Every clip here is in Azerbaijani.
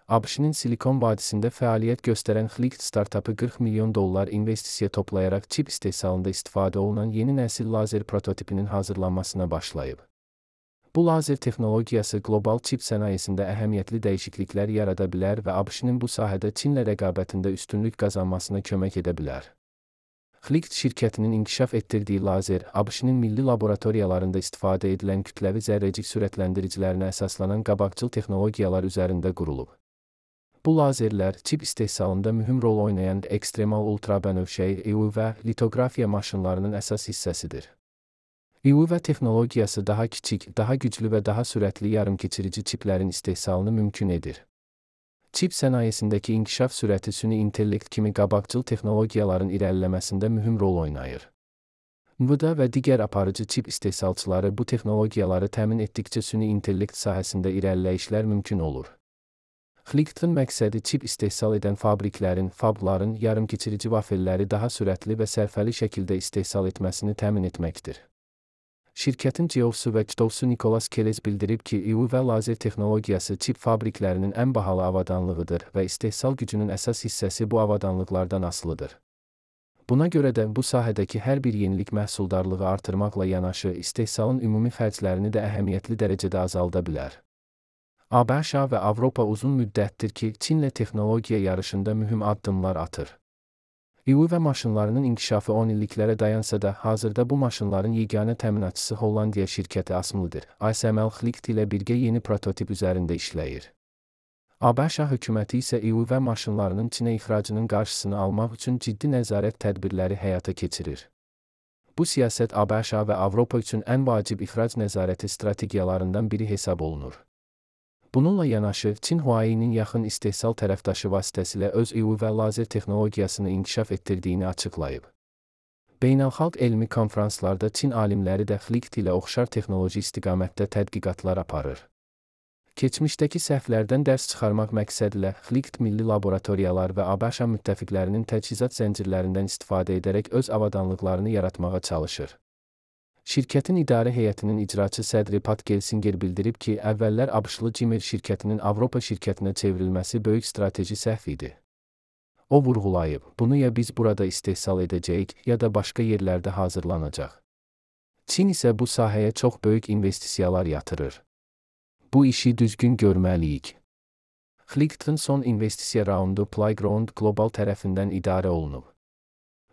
ABŞ-nin Silikon vadisində fəaliyyət göstərən Xlikt startapı $40 milyon investisiya toplayaraq çip istehsalında istifadə olunan yeni nəsil lazer prototipinin hazırlanmasına başlayıb. Bu lazer texnologiyası qlobal çip sənayesində əhəmiyyətli dəyişikliklər yarada bilər və ABŞ-nin bu sahədə Çinlə rəqabətində üstünlük qazanmasına kömək edə bilər. Xlikt şirkətinin inkişaf etdirdiyi lazer, ABŞ-nin milli laboratoriyalarında istifadə edilən kütləvi zərrəcik sürətləndiricilərinə əsaslanan qabaqcıl texnologiyalar üzərində qurulub. Bu lazerlər çip istehsalında mühüm rol oynayan ekstremal ultrabənövşəyi EUV litografiya maşınlarının əsas hissəsidir. EUV texnologiyası daha kiçik, daha güclü və daha sürətli yarımkeçirici çiplərin istehsalını mümkün edir. Çip sənayesindəki inkişaf sürəti süni intellekt kimi qabaqcıl texnologiyaların irəliləməsində mühüm rol oynayır. NVIDIA və digər aparıcı çip istehsalçıları bu texnologiyaları təmin etdikcə süni intellekt sahəsində irəliləyişlər mümkün olur. Xliktın məqsədi çip istehsal edən fabların yarımkeçirici vafelləri daha sürətli və sərfəli şəkildə istehsal etməsini təmin etməkdir. Şirkətin CEO-su və CTO-su Nicholas Kelez bildirib ki, EUV lazer texnologiyası çip fabriklərinin ən bahalı avadanlığıdır və istehsal gücünün əsas hissəsi bu avadanlıqlardan asılıdır. Buna görə də bu sahədəki hər bir yenilik məhsuldarlığı artırmaqla yanaşı, istehsalın ümumi xərclərini də əhəmiyyətli dərəcədə azalda bilər. ABŞ və Avropa uzun müddətdir ki, Çinlə texnologiya yarışında mühüm addımlar atır. EUV maşınlarının inkişafı 10 illiklərə dayansa da, hazırda bu maşınların yeganə təminatçısı Hollandiya şirkəti ASML-dir. ASML Xlikt ilə birgə yeni prototip üzərində işləyir. ABŞ hökuməti isə EUV maşınlarının Çinə ixracının qarşısını almaq üçün ciddi nəzarət tədbirləri həyata keçirir. Bu siyasət ABŞ və Avropa üçün ən vacib ixrac nəzarəti strategiyalarından biri hesab olunur. Bununla yanaşı, Çin Huawei-nin yaxın istehsal tərəfdaşı vasitəsilə öz EUV lazer texnologiyasını inkişaf etdirdiyini açıqlayıb. Beynəlxalq elmi konfranslarda Çin alimləri də Xlikt ilə oxşar texnoloji istiqamətdə tədqiqatlar aparır. Keçmişdəki səhvlərdən dərs çıxarmaq məqsədilə Xlikt milli laboratoriyalar və ABŞ müttəfiqlərinin təchizat zəncirlərindən istifadə edərək öz avadanlıqlarını yaratmağa çalışır. Şirkətin idarə heyətinin icraçı sədri Pat Gelsinger bildirib ki, əvvəllər ABŞ-lı Cimer şirkətinin Avropa şirkətinə çevrilməsi böyük strateji səhv idi. O vurğulayıb, bunu ya biz burada istehsal edəcəyik, ya da başqa yerlərdə hazırlanacaq. Çin isə bu sahəyə çox böyük investisiyalar yatırır. Bu işi düzgün görməliyik. Xliktın son investisiya raundu Playground Global tərəfindən idarə olunub.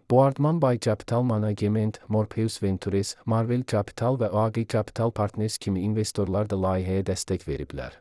Boardman Bay Capital Management, Morpheus Ventures, Marvel Capital və OAG Capital Partners kimi investorlar da layihəyə dəstək veriblər.